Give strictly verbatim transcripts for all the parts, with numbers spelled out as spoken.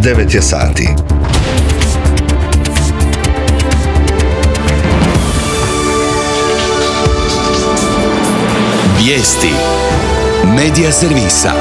devet je sati. Vijesti Medija servisa.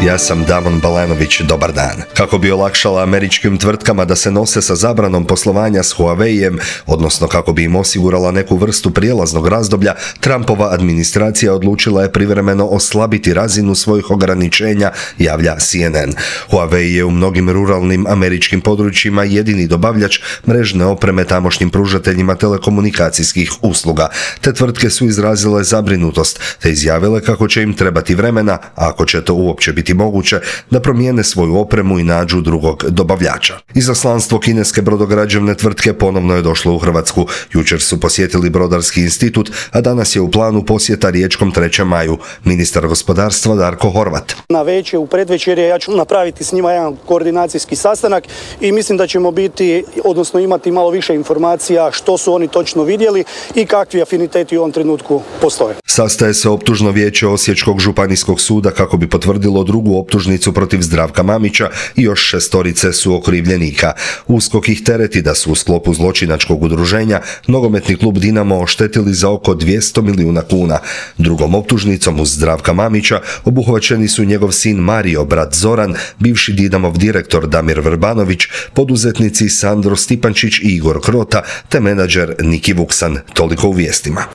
Ja sam Damon Balenović, dobar dan. Kako bi olakšala američkim tvrtkama da se nose sa zabranom poslovanja s Huaweijem, odnosno kako bi im osigurala neku vrstu prijelaznog razdoblja, Trumpova administracija odlučila je privremeno oslabiti razinu svojih ograničenja, javlja C N N. Huawei je u mnogim ruralnim američkim područjima jedini dobavljač mrežne opreme tamošnjim pružateljima telekomunikacijskih usluga. Te tvrtke su izrazile zabrinutost, te izjavile kako će im trebati vremena, ako će to uopće biti moguće, da promijene svoju opremu i nađu drugog dobavljača. Izaslanstvo kineske brodograđevne tvrtke ponovno je došlo u Hrvatsku. Jučer su posjetili Brodarski institut, a danas je u planu posjeta Riječkom trećem maju. Ministar gospodarstva Darko Horvat. Na večer, u predvečerje, ja ću napraviti s njima jedan koordinacijski sastanak i mislim da ćemo biti, odnosno imati malo više informacija što su oni točno vidjeli i kakvi afiniteti u ovom trenutku postoje. Sastaje se optužno vijeće Osječkog županijskog suda kako bi potvrdilo drugu optužnicu protiv Zdravka Mamića i još šestorice su okrivljenika. USKOK ih tereti da su u sklopu zločinačkog udruženja nogometni klub Dinamo oštetili za oko dvjesto milijuna kuna. Drugom optužnicom uz Zdravka Mamića obuhvaćeni su njegov sin Mario, brat Zoran, bivši Dinamov direktor Damir Vrbanović, poduzetnici Sandro Stipančić i Igor Krota te menadžer Niki Vuksan. Toliko u vijestima.